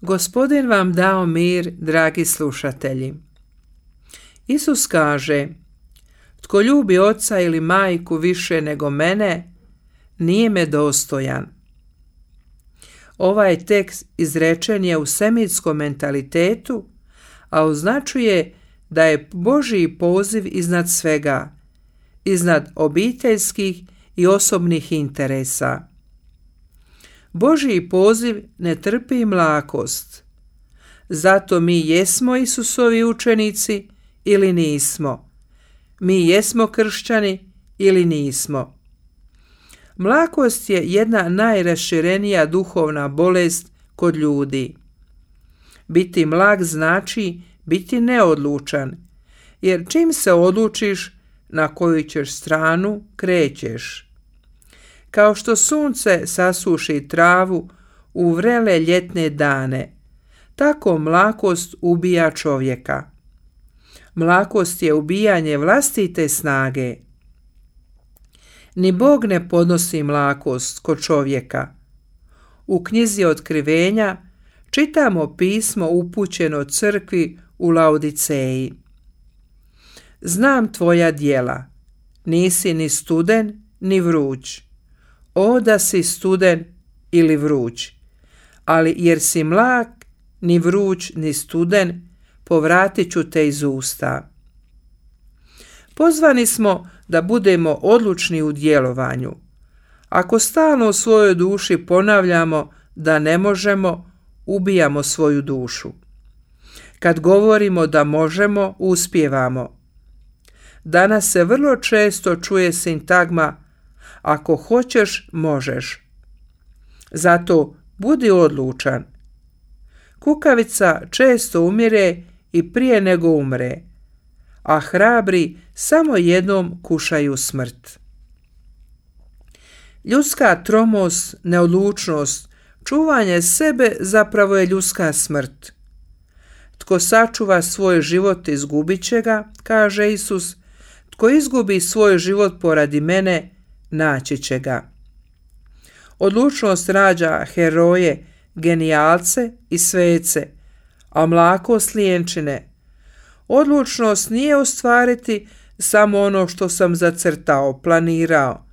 Gospodin vam dao mir, dragi slušatelji. Isus kaže: tko ljubi oca ili majku više nego mene, nije me dostojan. Ovaj tekst izrečen je u semitskom mentalitetu, a označuje da je Božji poziv iznad svega, iznad obiteljskih i osobnih interesa. Božji poziv ne trpi mlakost. Zato mi jesmo Isusovi učenici ili nismo. Mi jesmo kršćani ili nismo. Mlakost je jedna najraširenija duhovna bolest kod ljudi. Biti mlak znači biti neodlučan, jer čim se odlučiš na koju ćeš stranu, krećeš. Kao što sunce sasuši travu u vrele ljetne dane, tako mlakost ubija čovjeka. Mlakost je ubijanje vlastite snage. Ni Bog ne podnosi mlakost kod čovjeka. U knjizi Otkrivenja čitamo pismo upućeno crkvi u Laodiceji. Znam tvoja djela, nisi ni studen ni vruć. O da si studen ili vruć, ali jer si mlak, ni vruć ni studen, povratit ću te iz usta. Pozvani smo da budemo odlučni u djelovanju. Ako stalno u svojoj duši ponavljamo da ne možemo, ubijamo svoju dušu. Kad govorimo da možemo, uspijevamo. Danas se vrlo često čuje sintagma: ako hoćeš, možeš. Zato budi odlučan. Kukavica često umire i prije nego umre, a hrabri samo jednom kušaju smrt. Ljudska tromost, neodlučnost, čuvanje sebe zapravo je ljudska smrt. Tko sačuva svoj život, izgubit će ga, kaže Isus. Tko izgubi svoj život poradi mene, naći će ga. Odlučnost rađa heroje, genijalce i svece, a mlakost lijenčine. Odlučnost nije ostvariti samo ono što sam zacrtao, planirao,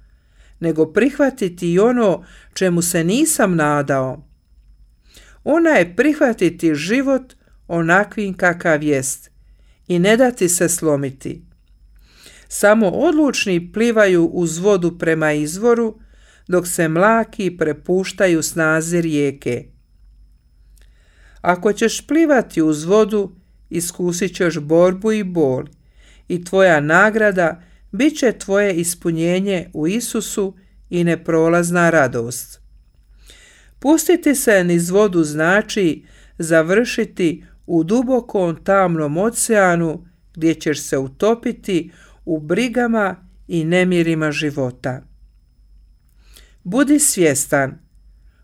nego prihvatiti i ono čemu se nisam nadao. Ona je prihvatiti život onakvim kakav jest i ne dati se slomiti. Samo odlučni plivaju uz vodu prema izvoru, dok se mlaki prepuštaju snazi rijeke. Ako ćeš plivati uz vodu, iskusit ćeš borbu i bol, i tvoja nagrada bit će tvoje ispunjenje u Isusu i neprolazna radost. Pustiti se niz vodu znači završiti u dubokom tamnom oceanu gdje ćeš se utopiti u brigama i nemirima života. Budi svjestan,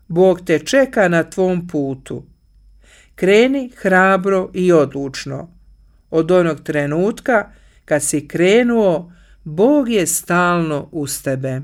Bog te čeka na tvom putu. Kreni hrabro i odlučno. Od onog trenutka kad si krenuo, Bog je stalno uz tebe.